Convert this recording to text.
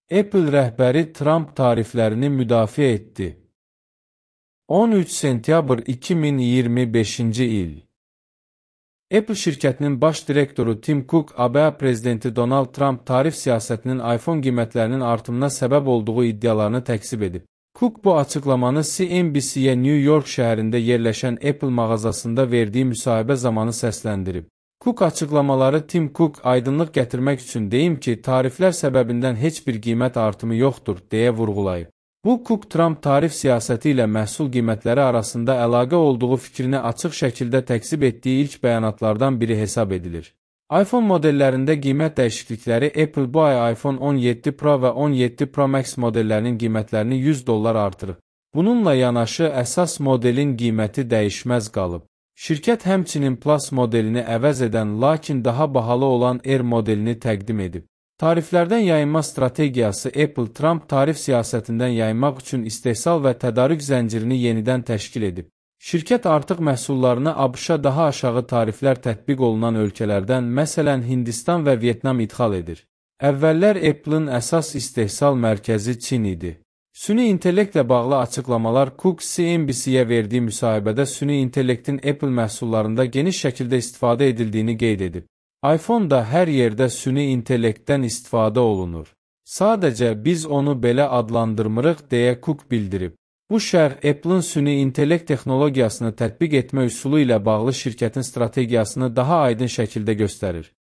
Apple rəhbəri Trump tariflərini müdafiə etdi. 13 sentyabr 2025-ci il. Apple şirkətinin baş direktoru Tim Cook, ABŞ prezidenti Donald Trump tarif siyasətinin iPhone qiymətlərinin artımına səbəb olduğu iddialarını təkzib edib. Cook bu açıqlamanı CNBC-yə New York şəhərində yerləşən Apple mağazasında verdiyi müsahibə zamanı səsləndirib. Cook açıqlamaları Tim Cook aydınlıq gətirmək üçün deyim ki, tariflər səbəbindən heç bir qiymət artımı yoxdur, deyə vurğulayıb. Bu, Cook Trump tarif siyasəti ilə məhsul qiymətləri arasında əlaqə olduğu fikrini açıq şəkildə təkzib etdiyi ilk bəyanatlardan biri hesab edilir. iPhone modellərində qiymət dəyişiklikləri Apple bu ay iPhone 17 Pro və 17 Pro Max modellərinin qiymətlərini $100 artırıb. Bununla yanaşı əsas modelin qiyməti dəyişməz qalıb. Şirkət həmçinin Plus modelini əvəz edən, lakin daha bahalı olan Air modelini təqdim edib. Tariflərdən yayınma strategiyası Apple Trump tarif siyasətindən yayınmaq üçün istehsal və tədarük zəncirini yenidən təşkil edib. Şirkət artıq məhsullarını ABŞ-a daha aşağı tariflər tətbiq olunan ölkələrdən, məsələn Hindistan və Vyetnam idxal edir. Əvvəllər Apple'ın əsas istehsal mərkəzi Çin idi. Süni intellektlə bağlı açıqlamalar Cook CNBC-yə verdiyi müsahibədə süni intellektin Apple məhsullarında geniş şəkildə istifadə edildiyini qeyd edib. iPhone da hər yerdə süni intellektdən istifadə olunur. Sadəcə biz onu belə adlandırmırıq, deyə Cook bildirib. Bu şərh Apple'ın süni intellekt texnologiyasını tətbiq etmə üsulu ilə bağlı şirkətin strategiyasını daha aydın şəkildə göstərir.